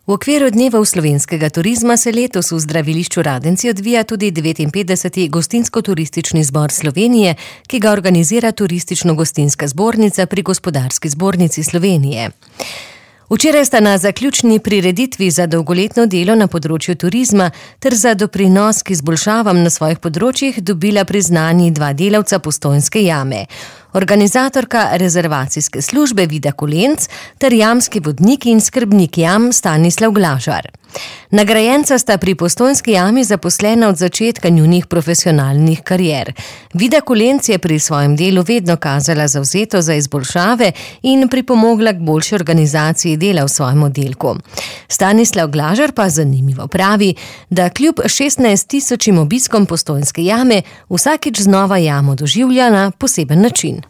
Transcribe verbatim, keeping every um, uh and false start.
V okviru dnevov slovenskega turizma se letos v zdravilišču Radenci odvija tudi devetinpetdeseti Gostinsko-turistični zbor Slovenije, ki ga organizira Turistično-gostinska zbornica pri Gospodarski zbornici Slovenije. Včeraj sta na zaključni prireditvi za dolgoletno delo na področju turizma ter za doprinos k izboljšavam na svojih področjih dobila priznanji dva delavca Postojnske jame. Organizatorka rezervacijske službe Vida Kolenc ter jamski vodnik in skrbnik jam Stanislav Glažar. Nagrajenca sta pri Postojnski jami zaposlena od začetka njunih profesionalnih karier. Vida Kolenc je pri svojem delu vedno kazala zavzeto za izboljšave in pripomogla k boljši organizaciji dela v svojem oddelku. Stanislav Glažar pa zanimivo pravi, da kljub šestnajst tisočim obiskom Postojnske jame vsakič znova jamo doživlja na poseben način.